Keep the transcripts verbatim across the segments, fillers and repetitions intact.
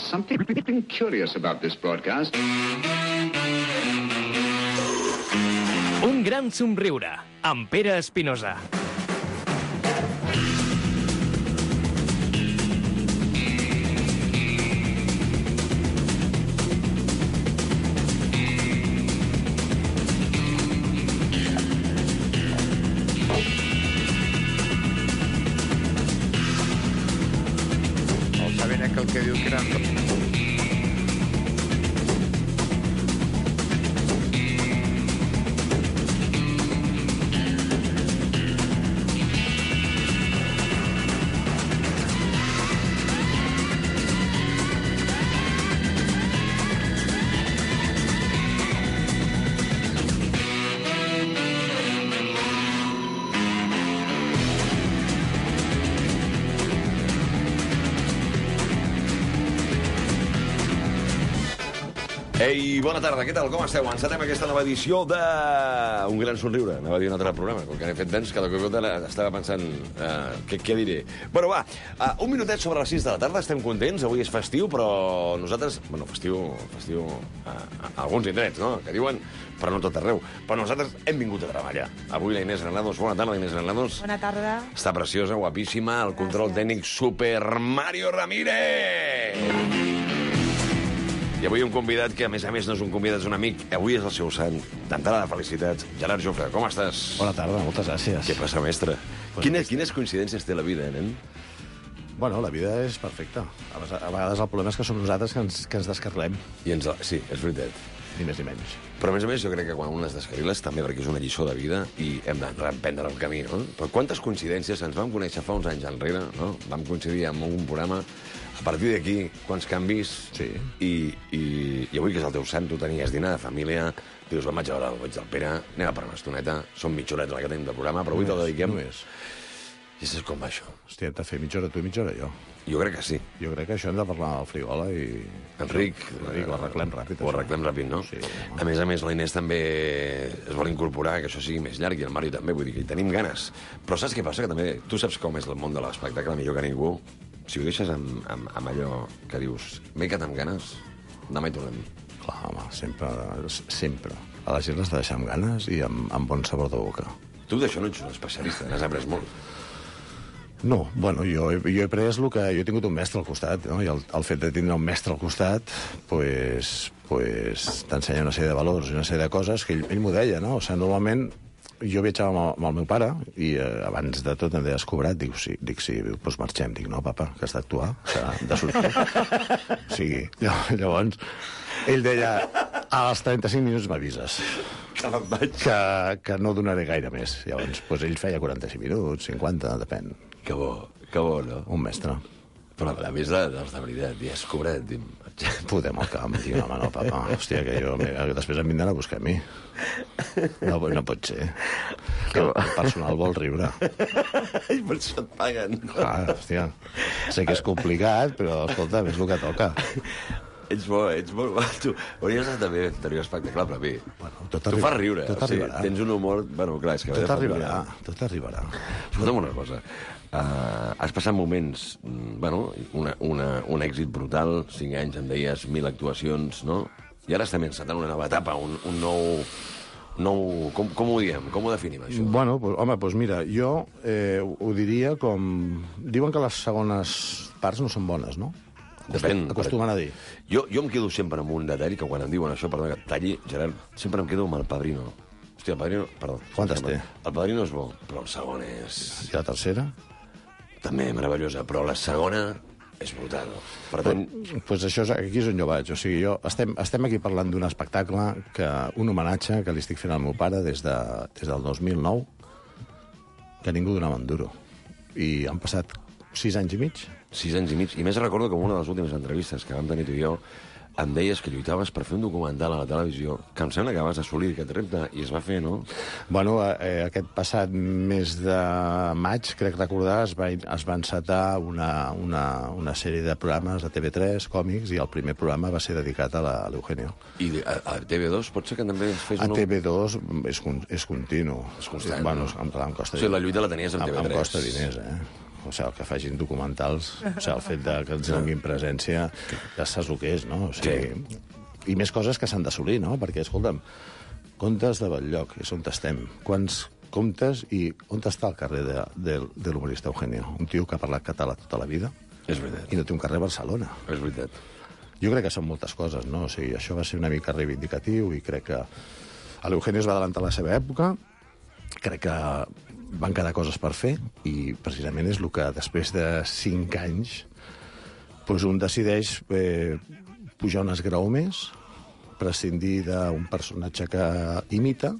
something curious about this broadcast. Un gran somriure, amb Pere Espinosa. El que diu que eren... Ei, bona tarda, què tal? Com esteu? Encetem aquesta nova edició de... Un gran somriure. Anava a dir un altre programa, com que n'he fet tants, cada cop estava pensant... Uh, què, què diré? Bueno, va, uh, un minutet sobre les sis de la tarda, estem contents, avui és festiu, però nosaltres... Bueno, festiu... festiu a, a alguns indrets, no?, que diuen, però no tot arreu. Però nosaltres hem vingut a treballar. Avui la Inés Granados, bona tarda, Inés Granados. Bona tarda. Està preciosa, guapíssima, el control tècnic Super Mario Ramírez! I avui un convidat que, a més a més, no és un convidat, és un amic. Avui és el seu sant. D'entrada de felicitats. Gerard Jofre, com estàs? Bona tarda, moltes gràcies. Què passa, mestre? Pues quines, quines coincidències té la vida, nen? Bueno, la vida és perfecta. A vegades el problema és que som nosaltres que ens, que ens descarrilem. I ens... Sí, és veritat. Ni més ni menys. Però, a més a més, jo crec que quan un es descarriles també perquè és una lliçó de vida i hem de reemprendre el camí, no? Però quantes coincidències ens vam conèixer fa uns anys enrere, no? Vam coincidir en un programa. A partir d'aquí, quants canvis... Sí. I, i, I avui, que és el teu sant, tu tenies dinar de família, dius, vam vaig a veure el goig del Pere, anem a per una estoneta, són mitja horeta la que tenim de programa, però avui te'l dediquem... Només. I saps com va això? Hòstia, hem de fer mitja hora tu i mitja hora jo. Jo crec que sí. Jo crec que això hem de parlar al frigola i... Enric... Enric, ho arreglem ràpid. Ho arreglem ràpid, no? Sí. A més a més, la Inés també es vol incorporar, que això sigui més llarg, i el Mario també, vull dir que hi tenim ganes. Però saps què passa? Que també tu saps com és el món de l'espectacle, millor que ningú. Si ho deixes amb, amb, amb allò que dius, m'he quedat amb ganes, demà hi tornem. Clar, home, sempre, sempre. A la gent l'has de deixar amb ganes i amb, amb bon sabor de boca. Tu d'això no ets un especialista, n'has après molt. No, bueno, jo, jo he pres el que... Jo he tingut un mestre al costat, no? I el, el fet de tindre un mestre al costat, pues, pues, t'ensenya una sèrie de valors i una sèrie de coses que ell, ell m'ho deia, no? O sigui, normalment jo viatjava amb el, amb el meu pare i eh, abans de tot em deia, has cobrat? Dic, sí, dic, sí, doncs marxem. Dic, no, papa, que has d'actuar, que de sortir. O sigui, llavors, ell deia, als trenta-cinc minuts m'avises. Que, que no donaré gaire més. Llavors, doncs ell feia quaranta-cinc minuts, cinquanta, depèn. Que bo, que bo, no? Un mestre. Però a més de, dels de veritat, i has cobrat, dim... Podem al camp, diu, home, no, papa. Hòstia, que jo... Després em vindran a buscar a mi. No, no pot ser. Que el personal vol riure. I per això et paguen. Clar, hòstia. Sé que és complicat, però, escolta, és el que toca. Ets bo, ets molt bo. Tu hauries de també tenir un espectacle, però a mi... Bueno, tot tu arriba, fas riure. tot arribarà. O sigui, tens un humor... Bueno, clar, és que... Tot arribarà, tot arribarà. Escolta'm una cosa. Uh, has passat moments, bueno, una, una, un èxit brutal, cinc anys, em deies, mil actuacions, no? I ara estem encetant una nova etapa, un, un nou... nou com, com ho diem? Com ho definim, això? Bueno, pues, home, doncs mira, jo eh, ho diria com... Diuen que les segones parts no són bones, no? Depèn. Acostumen a dir. Jo, jo em quedo sempre amb un detall, que quan em diuen això, perdona que et talli, Gerard, sempre em quedo amb el Padrino. Hòstia, el Padrino... Perdó. Quantes té? El Padrino és bo, però el segon és... I la tercera? També meravellosa, però la segona és brutal. Per tant... Pues, pues això és, aquí és on jo vaig. O sigui, jo estem, estem aquí parlant d'un espectacle, que un homenatge que li estic fent al meu pare des, de, des del dos mil nou, que ningú donava un duro. I han passat sis anys i mig. Sis anys i mig. I més recordo que en una de les últimes entrevistes que vam tenir tu i jo em deies que lluitaves per fer un documental a la televisió, que em sembla que vas assolir aquest repte, i es va fer, no? Bueno, eh, aquest passat mes de maig, crec recordar, es va, es va encetar una, una, una sèrie de programes a T V tres, còmics, i el primer programa va ser dedicat a l'Eugenio. I a, a T V dos pot ser que també ens fes A un... T V dos és, és continu. És constant, bueno, no? em, em costa... O sigui, la lluita la tenies amb T V tres. Em costa diners, eh? o sigui, el que facin documentals, o sigui, el fet de que ens donin presència, ja saps el que és, no? O sigui, sí. I més coses que s'han d'assolir, no? Perquè, escolta'm, comptes de Batllloc, és on estem. Quants comptes i on està el carrer de, de, de l'humorista Eugenio? Un tio que ha parlat català tota la vida. És veritat. I no té un carrer a Barcelona. És veritat. Jo crec que són moltes coses, no? O sigui, això va ser una mica reivindicatiu i crec que l'Eugenio es va adelantar a la seva època, crec que van quedar coses per fer i precisament és el que després de cinc anys doncs un decideix eh, pujar un esgraó més, prescindir d'un personatge que imita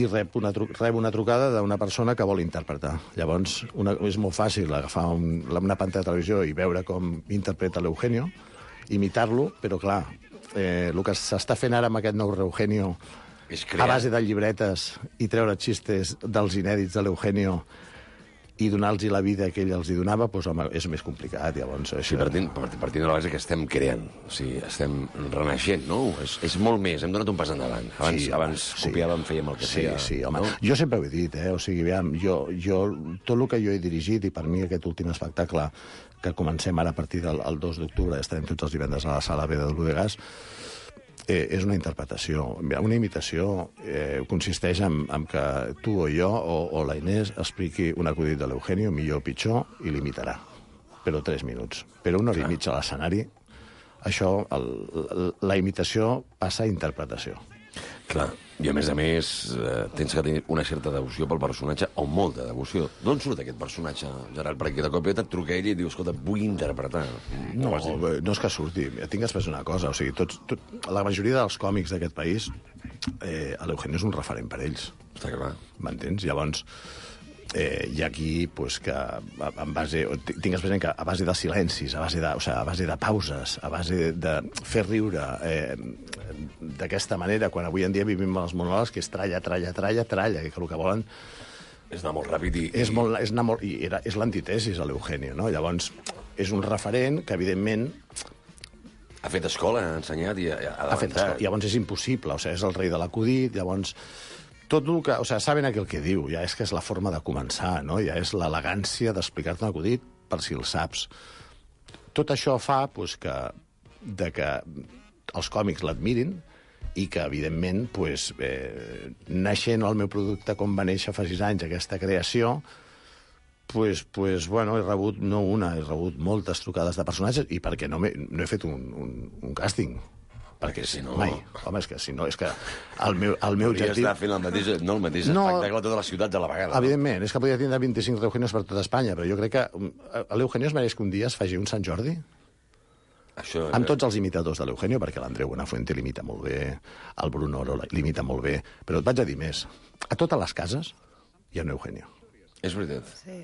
i rep una, tru rep una trucada d'una persona que vol interpretar. Llavors, una, és molt fàcil agafar un, una pantalla de televisió i veure com interpreta l'Eugenio, imitar-lo, però clar, eh, el que s'està fent ara amb aquest nou Eugenio a base de llibretes i treure xistes dels inèdits de l'Eugenio i donar-los la vida que ell els hi donava, doncs, home, és més complicat. Llavors, això... Sí, partint, partint de la base que estem creant, o sigui, estem renaixent, no? És, és molt més, hem donat un pas endavant. Abans, sí, abans sí. copiàvem, fèiem el que sí, feia. Sí, home. No? Jo sempre ho he dit, eh? O sigui, aviam, jo, jo, tot el que jo he dirigit, i per mi aquest últim espectacle que comencem ara a partir del dos d'octubre, estarem tots els divendres a la Sala B de l'Udegàs, Eh, és una interpretació. Una imitació eh, consisteix en, en que tu o jo o, o la Inés expliqui un acudit de l'Eugenio, millor o pitjor, i l'imitarà. Però tres minuts. Però una hora i mitja a l'escenari, això, el, la imitació passa a interpretació. Clar, i a més a més eh, tens que tenir una certa devoció pel personatge, o molta devoció. D'on surt aquest personatge, Gerard? Perquè de cop et truca ell i et diu, escolta, vull interpretar. No, no és que surti. Tinc després una cosa, o sigui, tots, tot, la majoria dels còmics d'aquest país, eh, l'Eugenio és un referent per ells. Està clar. M'entens? Llavors, eh, hi ha aquí pues, que en base, tingues present que a base de silencis, a base de, o sigui, a base de pauses, a base de, de fer riure eh, d'aquesta manera, quan avui en dia vivim els monòlegs, que és tralla, tralla, tralla, tralla, que el que volen... És anar molt ràpid i... És, molt, és, anar molt, i era, és l'antitesis a l'Eugenio, no? Llavors, és un referent que, evidentment... Ha fet escola, ha ensenyat i ha, ha Ha fet escola. Llavors és impossible, o sigui, és el rei de l'acudit, llavors... Tot el que... O sigui, saben aquell que diu, ja és que és la forma de començar, no? Ja és l'elegància d'explicar-te un acudit per si el saps. Tot això fa pues, que, de que els còmics l'admirin i que, evidentment, pues, eh, naixent el meu producte com va néixer fa sis anys, aquesta creació, pues, pues, bueno, he rebut no una, he rebut moltes trucades de personatges i perquè no, he, no he fet un, un, un càsting. Perquè si no... Mai. Home, és que si no... És que el meu, el meu objectiu... Podria estar fent el mateix, no el mateix no, espectacle a totes les ciutats a la vegada. Evidentment, no? És que podria tindre vint-i-cinc Eugenios per tota Espanya, però jo crec que l'Eugenio es mereix que un dia es faci un Sant Jordi Això... amb tots els imitadors de l'Eugenio, perquè l'Andreu Buenafuente l'imita molt bé, el Bruno Oro l'imita molt bé, però et vaig a dir més. A totes les cases hi ha un Eugenio. És veritat. Sí.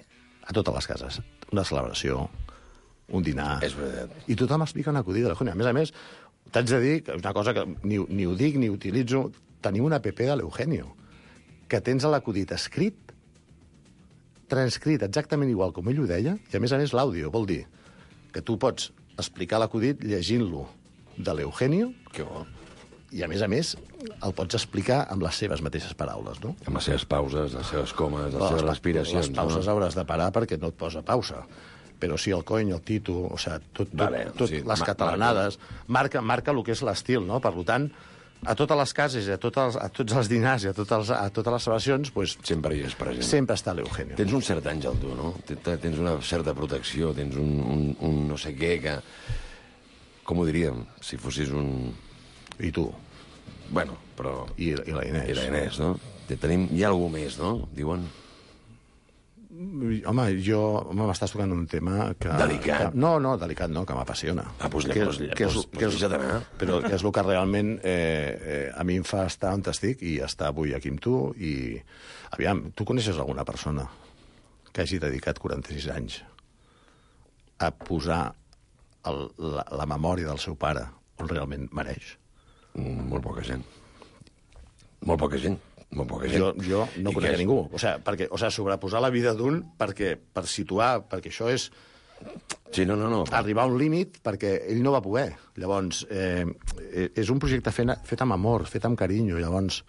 A totes les cases. Una celebració, un dinar... És veritat. I tothom explica un acudit de l'Eugenio. A més a més, t'haig de dir que és una cosa que ni, ni ho dic ni utilitzo. Tenim una app de l'Eugenio, que tens l'acudit escrit, transcrit exactament igual com ell ho deia, i a més a més l'àudio, vol dir que tu pots explicar l'acudit llegint-lo de l'Eugenio, que bo. I a més a més el pots explicar amb les seves mateixes paraules, no? Amb les seves pauses, les seves comes, les, les seves respiracions. Les pauses no? hauràs de parar perquè no et posa pausa. Però sí, el cony, el tito, o sigui, tot, tot, vale, tot sí, les catalanades, marca, marca el que és l'estil, no? Per tant, a totes les cases, a, totes, a tots els dinars i a totes, a totes les celebracions, pues, sempre hi és present. Sempre està l'Eugenio. Tens un cert àngel, tu, no? Tens una certa protecció, tens un, un, un no sé què que... Com ho diríem? Si fossis un... I tu? Bueno, però... I, i la Inés. I la Inés, no? Tenim... Hi ha algú més, no? Diuen... Home, jo m'estàs tocant un tema que... Delicat. Que, no, no, delicat no, que m'apassiona. Ah, doncs que, pues, que és, pues, que és, pues d'anar. Però que és el que realment eh, eh, a mi em fa estar on estic i estar avui aquí amb tu. I, aviam, tu coneixes alguna persona que hagi dedicat quaranta-sis anys a posar el, la, la memòria del seu pare on realment mereix? Mm, molt poca gent. Molt poca gent. Molt poca gent. Jo, jo no I conec és... ningú. O sigui, perquè, o sigui, sobreposar la vida d'un perquè, per situar, perquè això és... Sí, no, no, no. Arribar a un límit perquè ell no va poder. Llavors, eh, és un projecte fet, fet amb amor, fet amb carinyo. Llavors,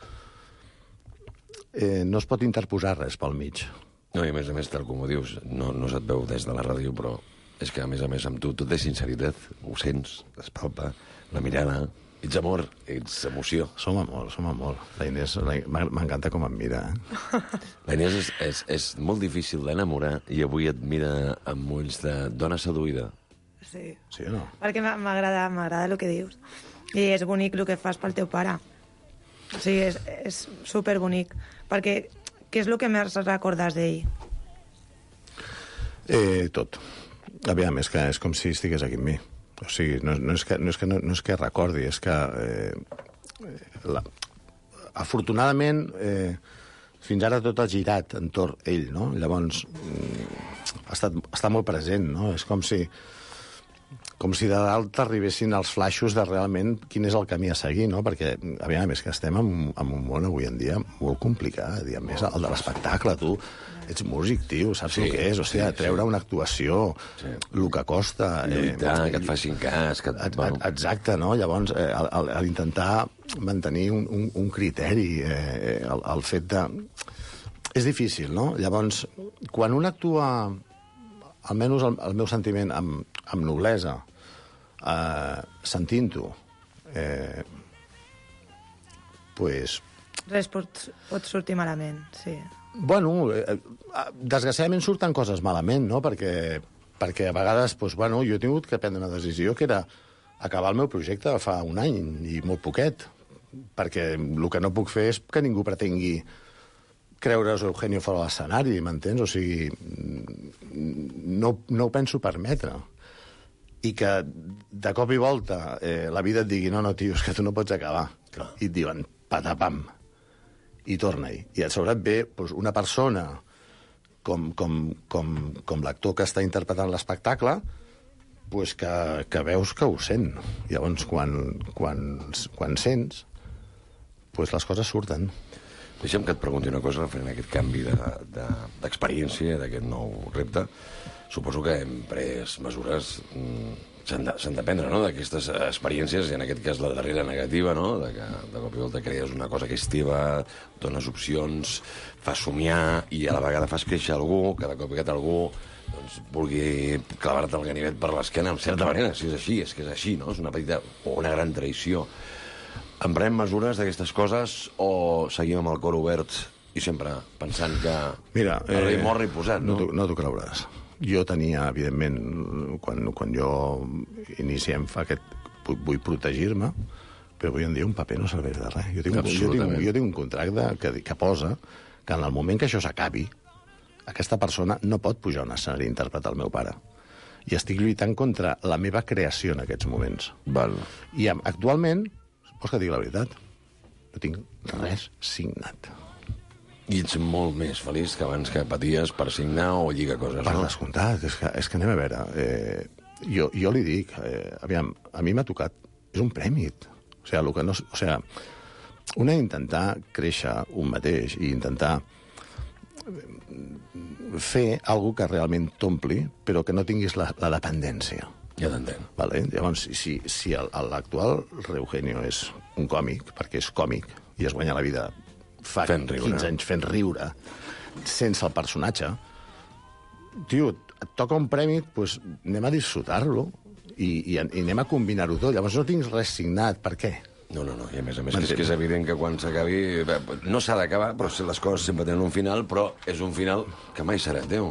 eh, no es pot interposar res pel mig. No, i a més a més, tal com ho dius, no, no se't veu des de la ràdio, però és que, a més a més, amb tu, tot és sinceritat, ho sents, es palpa, la mirada, ets amor, ets emoció. Som amor, som amor. La Inés, la, m'encanta com em mira, eh? La Inés és, és, és molt difícil d'enamorar i avui et mira amb ulls de dona seduïda. Sí. Sí o no? Perquè m'agrada, m'agrada el que dius. I és bonic el que fas pel teu pare. O sigui, és, és superbonic. Perquè què és el que més recordes d'ell? Eh, tot. Aviam, és que és com si estigués aquí amb mi. O sigui, no, no, és, que, no, és, que, no, no és que recordi, és que... Eh, la, afortunadament, eh, fins ara tot ha girat entorn ell, no? Llavors, mm, ha estat, està molt present, no? És com si... com si de dalt arribessin els flaixos de realment quin és el camí a seguir, no? Perquè, aviam, és que estem en, en un món avui en dia molt complicat, i a més el de l'espectacle, tu ets músic, tio, saps Sí, el que és? O sigui, sí, treure sí. una actuació, Sí. el que costa... Lluitar, eh, que et facin cas... Que et, Et- et- Exacte, no? Llavors, eh, al, al, al intentar mantenir un, un, un criteri, eh, el, el fet de... És difícil, no? Llavors, quan un actua, almenys el, el meu sentiment, amb, amb noblesa, eh, sentint-ho, eh, pues, Res pot, pot sortir malament, sí. bueno, eh, desgraciadament surten coses malament, no? Perquè, perquè a vegades, doncs, bueno, jo he tingut que prendre una decisió que era acabar el meu projecte fa un any i molt poquet, perquè el que no puc fer és que ningú pretengui creure's Eugenio fora de l'escenari, m'entens? O sigui, no, no ho penso permetre. I que de cop i volta eh, la vida et digui no, no, tio, és que tu no pots acabar. Clar. I et diuen patapam, i torna-hi. I a sobre et ve doncs, una persona com, com, com, com l'actor que està interpretant l'espectacle pues que, que veus que ho sent. Llavors, quan, quan, quan sents, pues les coses surten. Deixa'm que et pregunti una cosa referent a aquest canvi d'experiència, de, de, d'aquest nou repte. Suposo que hem pres mesures... Mm, s'han de, s'han de prendre, no?, d'aquestes experiències, i en aquest cas la darrera negativa, no?, de que de cop i volta crees una cosa que és teva, dones opcions, fas somiar i a la vegada fas créixer algú, que de cop i volta algú doncs, vulgui clavar-te el ganivet per l'esquena, en certa manera, si és així, és que és així, no?, és una petita o una gran traïció. Emprem mesures d'aquestes coses o seguim amb el cor obert i sempre pensant que Mira, el rei eh, mor i posat, no? No t'ho no t'ho creuràs. Jo tenia, evidentment, quan, quan jo iniciem aquest... Vull protegir-me, però avui en dia un paper no serveix de res. Jo tinc, un- jo tinc, Absolutament. jo tinc un contracte que, que posa que en el moment que això s'acabi, aquesta persona no pot pujar a un escenari a interpretar el meu pare. I estic lluitant contra la meva creació en aquests moments. Val. I am- actualment, vols que et digui la veritat? No tinc res signat. I ets molt més feliç que abans que paties per signar o lligar coses, Per no? descomptat, és que, és que anem a veure. Eh, jo, jo li dic, eh, aviam, a mi m'ha tocat, és un premi. O sigui, el que no, o sigui, un ha d'intentar créixer un mateix i intentar fer alguna que realment t'ompli, però que no tinguis la, la dependència. Ja t'entenc. Vale? Llavors, si, si el- l'actual Eugenio és un còmic, perquè és còmic i es guanya la vida fa Fent riure. quinze anys fent riure, sense el personatge, tio, et toca un premi, doncs anem a disfrutar-lo i, i, i anem a combinar-ho tot. Llavors no tinc res signat. Per què? No, no, no, i a més a més que és, que és evident que quan s'acabi... bé, no s'ha d'acabar, però si les coses sempre tenen un final, però és un final que mai serà teu.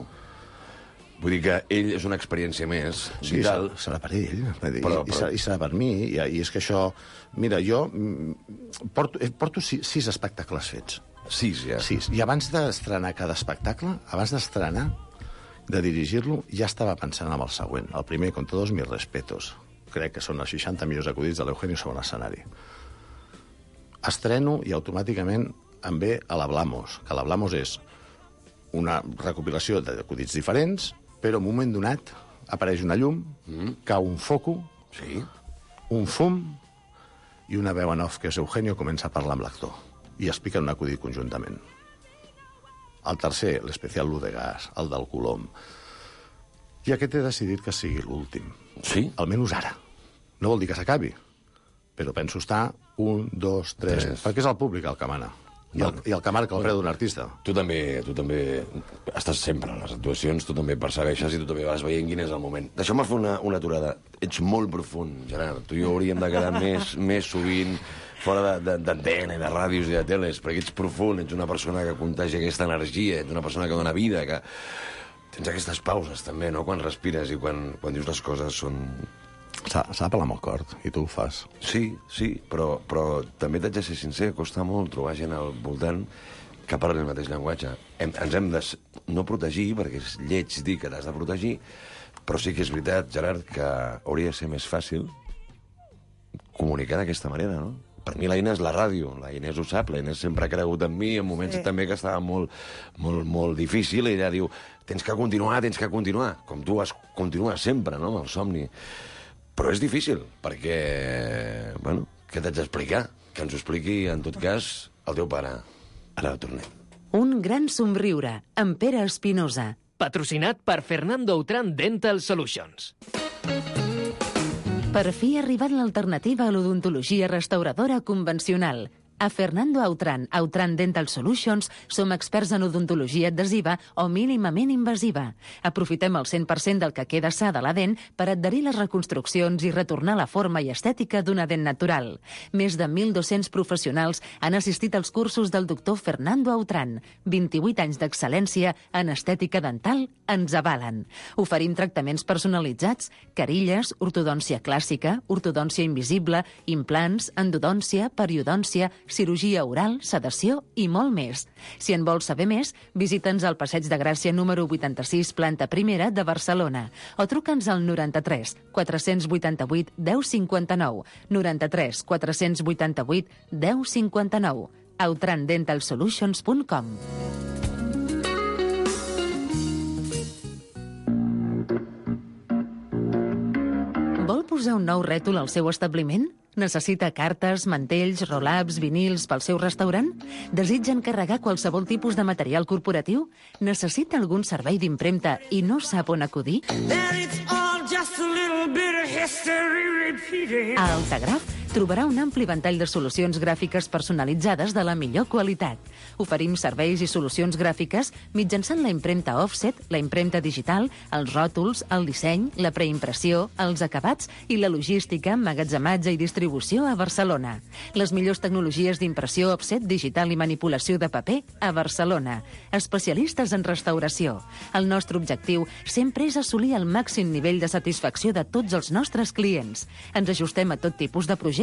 Vull dir que ell és una experiència més Sí, vital. serà, serà per ell, vull dir, Però- i, però- serà, i serà per mi, i, i és que això... Mira, jo mm, porto, eh, porto sis, sis espectacles fets. Sis, ja. Sis. I abans d'estrenar cada espectacle, abans d'estrenar, de dirigir-lo, ja estava pensant en el següent. El primer, con todos mis respetos. Crec que són els seixanta millors acudits de l'Eugenio sobre l'escenari. Estreno i automàticament em ve a l'Hablamos, que l'Hablamos és una recopilació d'acudits diferents, però en un moment donat apareix una llum, mm. cau un foco, Sí? un fum i una veu en off, que és Eugenio, comença a parlar amb l'actor i expliquen un acudit conjuntament. El tercer, l'especial Lu de Gas, el del Colom. I aquest he decidit que sigui l'últim. Sí? Almenys ara. No vol dir que s'acabi, però penso estar un, dos, tres, Tres. perquè és el públic el que mana. I el, i el que marca el preu d'un artista. Tu també, tu també estàs sempre a les actuacions, tu també persegueixes i tu també vas veient quin és el moment. Deixeu-me fer una, una aturada. Ets molt profund, Gerard. Tu i jo hauríem de quedar més, més sovint fora d'antena i de ràdios i de teles, perquè ets profund, ets una persona que contagia aquesta energia, ets una persona que dona vida, que tens aquestes pauses també, no?, quan respires i quan, quan dius les coses són... S'ha de parlar amb el cor, i tu ho fas. Sí, sí, però, però també t'haig de ser sincer, costa molt trobar gent al voltant que parli el mateix llenguatge. Hem, ens hem de no protegir, perquè és lleig dir que t'has de protegir, però sí que és veritat, Gerard, que hauria de ser més fàcil comunicar d'aquesta manera, no? Per mi la Inés és la ràdio, la Inés ho sap, la Inés sempre ha cregut en mi, en moments sí. també que estava molt, molt, molt difícil, i ella diu, tens que continuar, tens que continuar, com tu has continuat sempre, no?, amb el somni. Però és difícil, perquè, bueno, què t'haig d'explicar? Que ens ho expliqui, en tot cas, el teu pare. Ara tornem. Un gran somriure, amb Pere Espinosa. Patrocinat per Fernando Autran Dental Solutions. Per fi ha arribat l'alternativa a l'odontologia restauradora convencional. A Fernando Autran, Autran Dental Solutions, som experts en odontologia adhesiva o mínimament invasiva. Aprofitem el cent per cent del que queda sa de la dent per adherir les reconstruccions i retornar la forma i estètica d'una dent natural. Més de mil dos-cents professionals han assistit als cursos del doctor Fernando Autran. vint-i-vuit anys d'excel·lència en estètica dental ens avalen. Oferim tractaments personalitzats, carilles, ortodòncia clàssica, ortodòncia invisible, implants, endodòncia, periodòncia, cirurgia oral, sedació i molt més. Si en vols saber més, visita'ns al Passeig de Gràcia número vuitanta-sis, planta primera de Barcelona, o truca'ns al noranta-tres quatre-cents vuitanta-vuit deu cinquanta-nou, noranta-tres quatre-cents vuitanta-vuit deu cinquanta-nou, autran dental solutions punt com. Vol posar un nou rètol al seu establiment? Necessita cartes, mantells, roll-ups, vinils pel seu restaurant? Desitja encarregar qualsevol tipus de material corporatiu? Necessita algun servei d'impremta i no sap on acudir? A Altagraf trobarà un ampli ventall de solucions gràfiques personalitzades de la millor qualitat. Oferim serveis i solucions gràfiques mitjançant la impremta offset, la impremta digital, els ròtols, el disseny, la preimpressió, els acabats i la logística, emmagatzematge i distribució a Barcelona. Les millors tecnologies d'impressió offset, digital i manipulació de paper a Barcelona. Especialistes en restauració. El nostre objectiu sempre és assolir el màxim nivell de satisfacció de tots els nostres clients. Ens ajustem a tot tipus de projectes.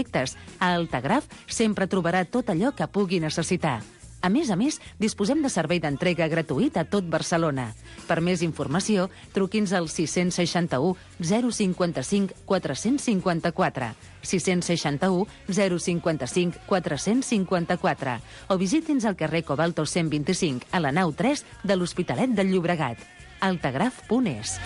A Altagraf sempre trobarà tot allò que pugui necessitar. A més a més, disposem de servei d'entrega gratuït a tot Barcelona. Per més informació, truqui'ns al sis seixanta-u zero cinquanta-cinc quatre-cents cinquanta-quatre, sis seixanta-u zero cinquanta-cinc quatre-cents cinquanta-quatre, o visiti'ns al carrer Cobalto cent vint-i-cinc, a la nau tres de l'Hospitalet del Llobregat. altagraf punt es.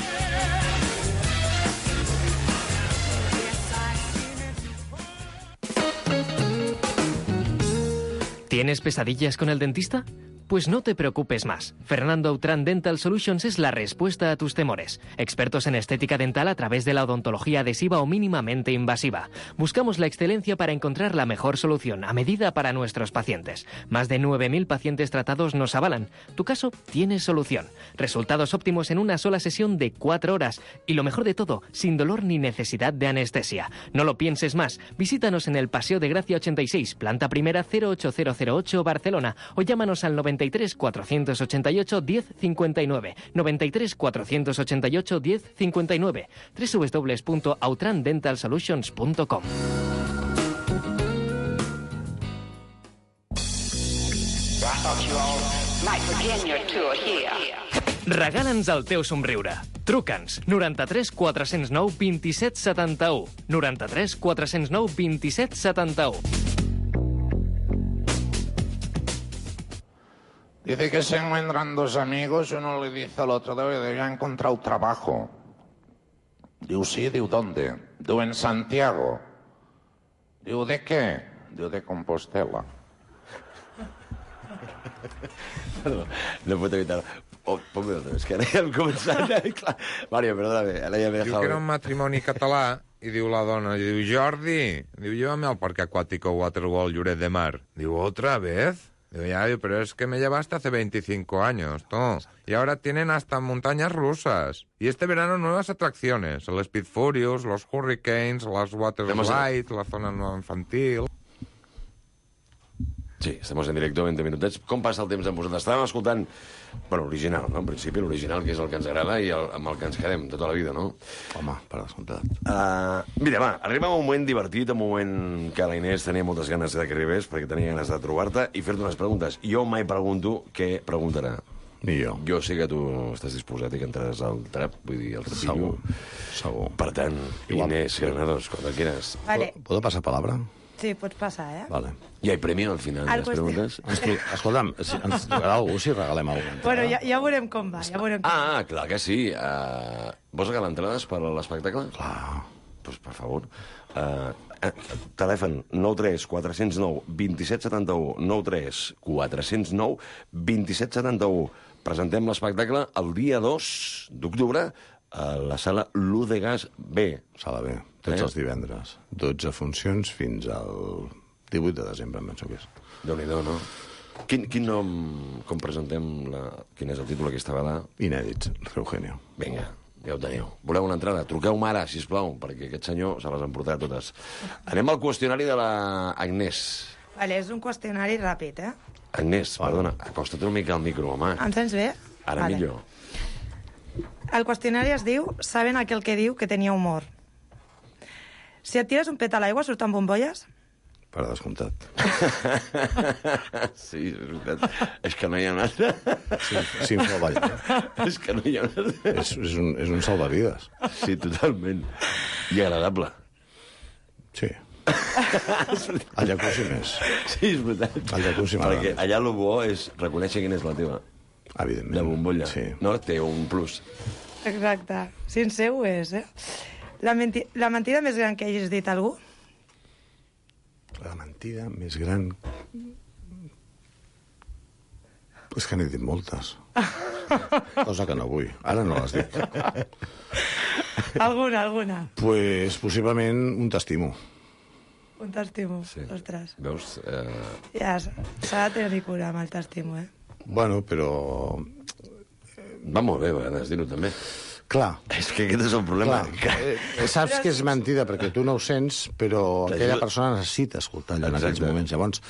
¿Tienes pesadillas con el dentista? Pues no te preocupes más. Fernando Autran Dental Solutions es la respuesta a tus temores. Expertos en estética dental a través de la odontología adhesiva o mínimamente invasiva. Buscamos la excelencia para encontrar la mejor solución a medida para nuestros pacientes. Más de nueve mil pacientes tratados nos avalan. Tu caso tiene solución. Resultados óptimos en una sola sesión de cuatro horas. Y lo mejor de todo, sin dolor ni necesidad de anestesia. No lo pienses más. Visítanos en el Paseo de Gracia ochenta y seis, planta primera cero ocho cero cero ocho, Barcelona. O llámanos al noventa y tres cuatrocientos ochenta y ocho diez cincuenta y nueve, noventa y tres cuatrocientos ochenta y ocho diez cincuenta y nueve, doble u doble u doble u punto autran dental solutions punto com. Regala'ns el teu somriure. Truca'ns noranta-tres quatre-cents nou vint-i-set setanta-u, noranta-tres quatre-cents nou vint-i-set setanta-u. Dice que se encuentran dos amigos, uno le dice al otro, debe ya encontrado trabajo. Digo, sí, digo, ¿dónde? Digo, en Santiago. Digo, ¿de qué? Digo, de Compostela. Perdó, no puedo evitar. Oh, ponme otra vez, que ara ja hem començat. Mario, perdóname, ara ja m'he dejado. Diu que era un matrimoni català i diu la dona, diu, Jordi, diu, llévame al parque acuático Waterworld Lloret de Mar. Diu, ¿otra vez? Digo, ya, digo, pero es que me llevaste hace veinticinco años, ¿no? Y ahora tienen hasta montañas rusas. Y este verano nuevas atracciones. El Speed Furious, los Hurricanes, las Water Slides, la zona nueva infantil... Sí, estem en directe, veinte minutets. Com passa el temps amb vosaltres? Estàvem escoltant, bueno, l'original, no? En principi, l'original, que és el que ens agrada i el, amb el que ens quedem tota la vida, no? Home, per descomptat. Uh, mira, va, arribem a un moment divertit, un moment que la Inés tenia moltes ganes de que arribés, perquè tenia ganes de trobar-te i fer-te unes preguntes. Jo mai pregunto què preguntarà. Ni jo. Jo sé que tu estàs disposat i que entraràs al trap, vull dir, al trapillo. Segur, segur. Per tant, Inés Granados, cuando quieras. Vale. ¿Puedo pasar palabra? Sí, pots passar, eh? Vale. Hi ha premi al final de Al les qüestió- preguntes? Ens tru... Escolta'm, si ens trucarà algú si regalem alguna cosa. Bueno, ja, ja veurem com va, ja veurem com va. Ah, clar que sí. Uh, vols regalar entrades per a l'espectacle? Clar. Pues, per favor. Uh, uh, telèfon nou tres quatre zero nou dos set set u, nou tres quatre zero nou dos set set u. Presentem l'espectacle el dia dos d'octubre a la sala L'U de Gas B. Sala B, tots Eh? els divendres. dotze funcions fins al divuit de desembre, em penso que és. Déu-n'hi-do, no? Quin, quin nom, com presentem, la... quin és el títol aquesta vegada? Inèdits, Eugenio. Vinga, ja ho teniu. Voleu una entrada? Truqueu-me ara, sisplau, perquè aquest senyor se les ha emportat totes. Anem al qüestionari de la Agnès. Vale, és un qüestionari ràpid, eh? Agnès, perdona, acosta't una mica al micro, home. Em sents bé? Ara Vale. millor. El qüestionari es diu «Saben aquel que diu que tenia humor». Si et tires un pet a l'aigua, surten bombolles? Per descomptat. Sí, és veritat. És que no hi ha un altre. Sí, sí, em fa ballar. És que no hi ha un altre. És, és, un, és un salvavides. Sí, totalment. I agradable. Sí. El jacuzzi més. Sí, és veritat. El jacuzzi m'agrada Perquè més. allà el bo és reconèixer quina és la teva. Evidentment. La bombolla. Sí. No? Té un plus. Exacte. Sincer ho és, eh? La, menti la mentida més gran que hagis dit a algú? La mentida més gran... És que n'he dit moltes. Cosa que no vull. Ara no les dic. Alguna, alguna. Pues, possiblement, un t'estimo. Un t'estimo. Sí. Ostres. Veus? Eh... Ja s'ha de tenir cura amb el t'estimo, eh? Bueno, però... Va molt bé, a vegades, dir-ho també. Clar, És que aquest és el problema. clar. Eh, saps que és mentida perquè tu no ho sents, però aquella persona necessita escoltar allò en Exacte. aquells moments. Llavors,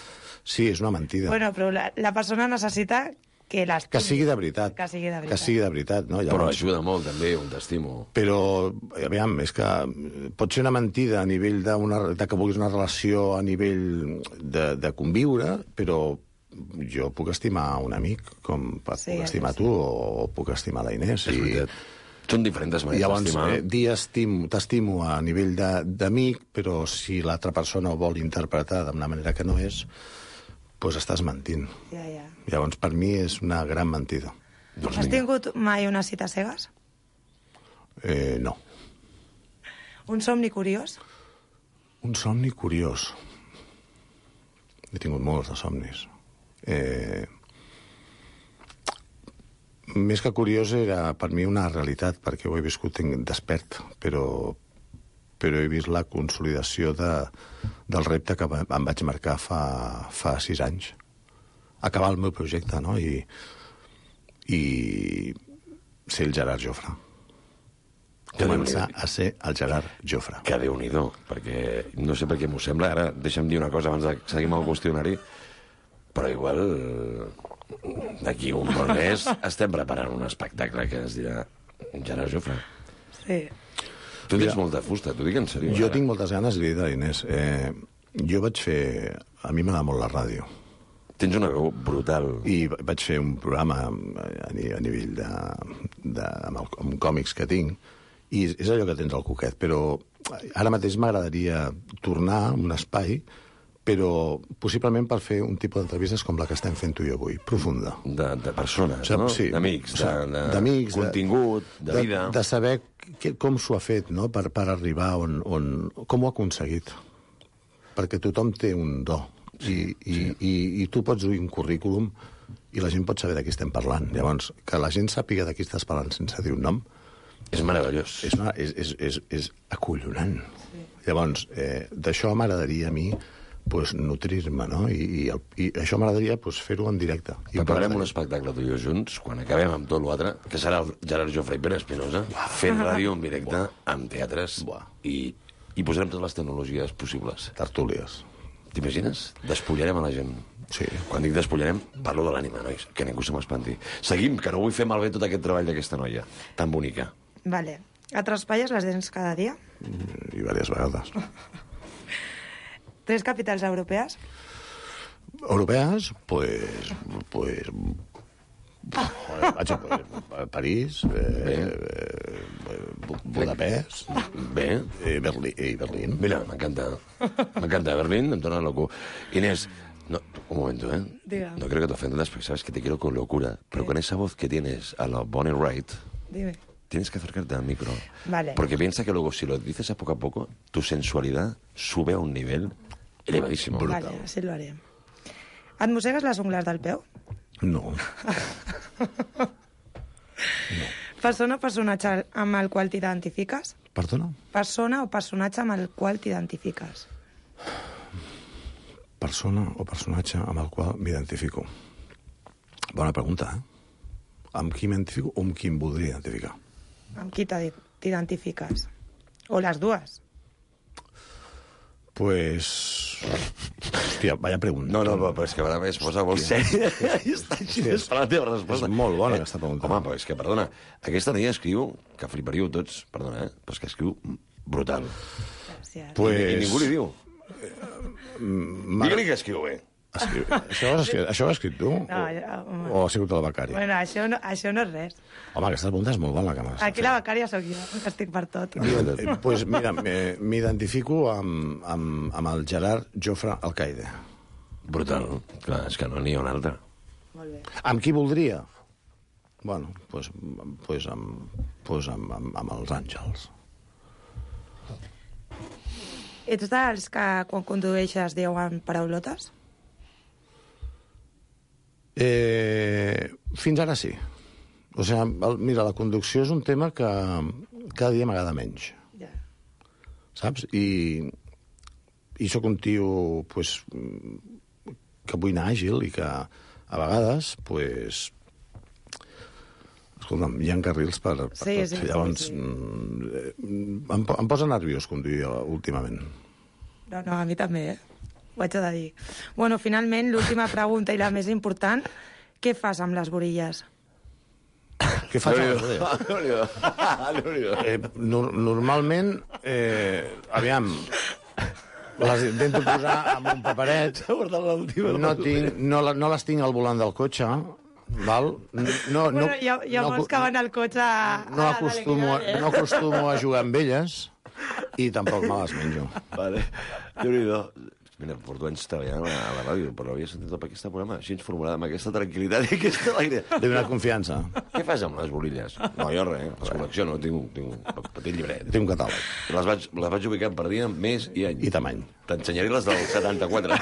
sí, és una mentida. Bueno, però la, la persona necessita que l'estimi. Que sigui de veritat. Que sigui de veritat. Que sigui de veritat, no? Però Llavors, ajuda molt, també, un t'estimo. però, aviam, és que pot ser una mentida a nivell d'una, de que vulguis una relació a nivell de, de conviure, però jo puc estimar un amic com et Sí, puc estimar sí. tu o puc estimar la Inés. És veritat. Són diferents I maneres llavors, d'estimar. eh, dir estimo, t'estimo a nivell de- d'amic, però si l'altra persona ho vol interpretar d'una manera que no és, doncs estàs mentint. Ja, ja. Llavors, per mi és una gran mentida. Doncs Has vinga. tingut mai una cita a cegues? Eh, no. Un somni curiós? Un somni curiós. He tingut molts de somnis. Eh, més que curiós era per mi una realitat, perquè ho he viscut tinc- despert, però, però he vist la consolidació de, del repte que va- em vaig marcar fa, fa sis anys. Acabar el meu projecte, no? I, i ser el Gerard Jofre. Que Començar Déu-n'hi-do. a ser el Gerard Jofre. Que Déu-n'hi-do, perquè no sé per què m'ho sembla. Ara deixa'm dir una cosa abans de seguir amb el qüestionari, però igual d'aquí un bon mes estem preparant un espectacle que es dirà Gerard Jofre. Sí. Tu tens Mira, molta fusta, t'ho dic en sèrio. Jo ara. tinc moltes ganes, li he dit a l'Inés. Eh, jo vaig fer... A mi m'agrada molt la ràdio. Tens una veu brutal. I vaig fer un programa a, ni- a nivell de, de, amb, el, amb còmics que tinc, i és allò que tens al coquet, però ara mateix m'agradaria tornar a un espai, però possiblement per fer un tipus d'entrevistes com la que estem fent tu i jo avui, profunda. De, de persones, Sap, no? sí. D'amics, O sigui, de, de, d'amics, de- contingut, de, de, vida. de saber que, com s'ho ha fet, no?, per, per arribar on, on... Com ho ha aconseguit. Perquè tothom té un do. I, i, i, i tu pots dur un currículum i la gent pot saber de qui estem parlant. Llavors, que la gent sàpiga de qui estàs parlant sense dir un nom És meravellós. és, una, és, és, és, és acollonant. Sí. Llavors, eh, d'això m'agradaria a mi pues, nutrir-me, no? I, i, el, i això m'agradaria pues, fer-ho en directe. I Preparem un espectacle tu i jo junts, quan acabem amb tot l'altre, que serà el Gerard Jofre i Pere Espinosa, fent ràdio en directe, amb teatres, Buah. i, i posarem totes les tecnologies possibles. Tertúlies. T'imagines? Despullarem a la gent. Sí. Quan dic despullarem, parlo de l'ànima, nois, que ningú se m'espanti. Seguim, que no vull fer malbé tot aquest treball d'aquesta noia, tan bonica. Vale. Et raspalles les dents cada dia? I diverses vegades. Tres capitals europees? Europees, pues... pues joder, vaig a pues, París, eh, eh, Budapest, Bé. i Berlín. I Berlín. Mira, m'encanta. M'encanta. Berlín em torna loco. Inés, no, un momento, ¿eh? Diga. No creo que te ofendas, porque sabes que te quiero con locura. Pero con esa voz que tienes a la Bonnie Wright, Dime. tienes que acercarte al micro. Vale. Porque piensa que luego, si lo dices a poco a poco, tu sensualidad sube a un nivel elevadísimo. Vale, así lo haré. Et mossegues les ungles del peu? No. Persona o personatge amb el qual t'identifiques? Perdona? Persona o personatge amb el qual t'identifiques? Persona o personatge amb el qual m'identifico. Bona pregunta, eh? Amb qui m'identifico o amb qui em voldria identificar? Amb qui t'idi- t'identifiques? O les dues? Pues... Hòstia, vaya pregunta. No, no, però és que a vegades es posa molt sèria i està així esperant la teva resposta. És molt bona, Eh, aquesta pregunta. Home, però és que, perdona, aquesta noia escriu, que fliparíeu tots, perdona, eh, però és que escriu brutal. Gràcies. Pues... I ningú li diu. Ma- Digue-li que escriu bé. Escriu... Això, ho has escrit, això ho has escrit tu? No, ja, home. O ha sigut el becari? Bueno, això no, això no és res. Home, aquesta pregunta és molt bona, que m'has Aquí la becària sóc jo, que estic per tot. Eh, pues mira, me- m'identifico amb, amb, amb el Gerard Jofre Alcaide. Brutal. Clar, és que no n'hi ha un altre. Molt bé. Amb qui voldria? Bueno, pues, pues, amb, pues amb, amb, amb els àngels. Ets dels que quan condueixes diuen paraulotes? Eh, fins ara sí. O sigui, el, mira, la conducció és un tema que cada dia m'agrada menys, Ja. saps? I, i sóc un tio pues, que vull anar àgil i que a vegades pues, escolta'm, hi ha carrils per, per Sí, tot. sí, Llavors, sí, sí. mm, em, po- em posa nerviós conduir últimament. No, no, a mi també, eh? Ho haig de dir. Bueno, finalment, l'última pregunta i la més important. Què fas amb les borilles? Què faig? amb les orelles? Déu-n'hi-do. Eh, nor normalment, eh, aviam, les intento posar amb un paperet, no, tinc, no, la- no les tinc al volant del cotxe, val? No, no, Bueno, hi ha, hi ha no, molts que van al cotxe... a- no, a- acostumo, dale, que dale. no acostumo a jugar amb elles i tampoc me les menjo. Vale. Déu-n'hi-do. Mira, porto anys treballant a la, a la ràdio, però l'havia sentit tot aquest programa així formulada, amb aquesta tranquil·litat i aquesta alegria. He donat confiança. Què fas amb les borilles? No, jo res, les col·lecciono, tinc, tinc un petit llibret. Tinc un catàleg. Les vaig, les vaig ubicant per dia, mes i any. I tamany. T'ensenyaré les del setanta-quatre.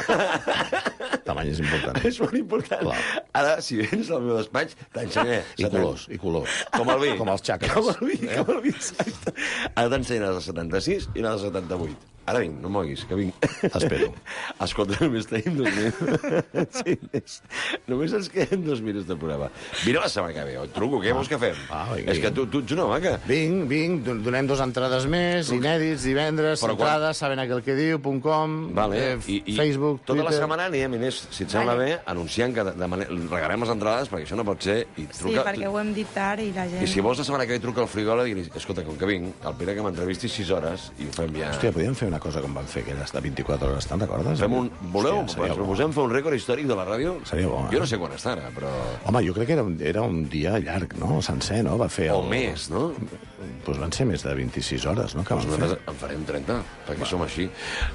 Tamany és important. És molt important. Clar. Ara, si vens al meu despatx, t'ensenyaré. I colors, i colors. Com el vi. Com els xacres. Com el vi, Eh? com el vi, exacte. Ara t'ensenyaré les del setanta-sis i les del setanta-vuit. Ara vinc, no em moguis, que vinc. T'espero. Escolta, només tenim dos minuts. Sí, és... Només ens queden dos minuts de programa. Vine la setmana que ve, et truco, què vols que fem? Ah, vinga, És que tu, tu ets una vaca. Vinc, vinc, don- donem dos entrades més, inèdits, divendres, Però quan- entrades, saben aquel que diu, punt com, Vale. eh, I, i Facebook, tota Twitter... la setmana anirem, Inés, si et sembla Vale. bé, anunciant que demanem, regalem les entrades, perquè això no pot ser. I Sí, truca, perquè ho hem dit tard i la gent... I si vols la setmana que ve truca al frigòleg i li escolta, com que vinc, el Pere que m'entrevisti sis hores i ho fem ja... Hòstia, podríem fer una cosa com van fer aquelles de vint-i-quatre hores, te'n recordes? Fem un... Voleu? Hòstia, Hòstia, seria bo. proposem fer un rècord històric de la ràdio? Seria bo, eh? Jo no sé quan està ara, però... Home, jo crec que era un, era un dia llarg, no? Sencer, no? Va fer... O més, no? Doncs van ser més de vint-i-sis hores, no? Que Doncs van fer. nosaltres en farem trenta, perquè som així.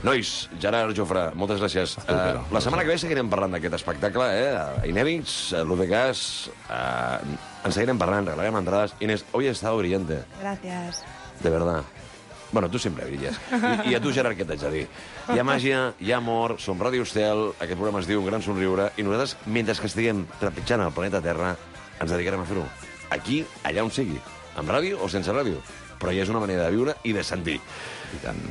Nois, Gerard Jofre, moltes gràcies. tu, Pere. Uh, la setmana que ve seguirem parlant d'aquest espectacle, eh? Inèdits, l'U D Gas... Uh, en seguirem parlant, regalarem entrades. Inés, hoy he estado brillante, Gràcies. de verdad. Bueno, tu sempre brilles. I, I a tu, Gerard, què t'haig de dir? Hi ha màgia, hi ha amor, som Ràdio Estel, aquest programa es diu Un gran somriure, i nosaltres, mentre que estiguem trepitjant el planeta Terra, ens dedicarem a fer-ho. Aquí, allà on sigui. Amb ràdio o sense ràdio. Però ja és una manera de viure i de sentir.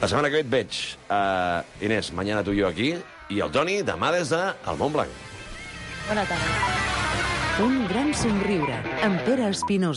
La setmana que ve et veig. Uh, Inés, mañana tú y yo aquí. i el Toni, demà des del Montblanc. Bona tarda. Un gran somriure, amb Pere Espinosa.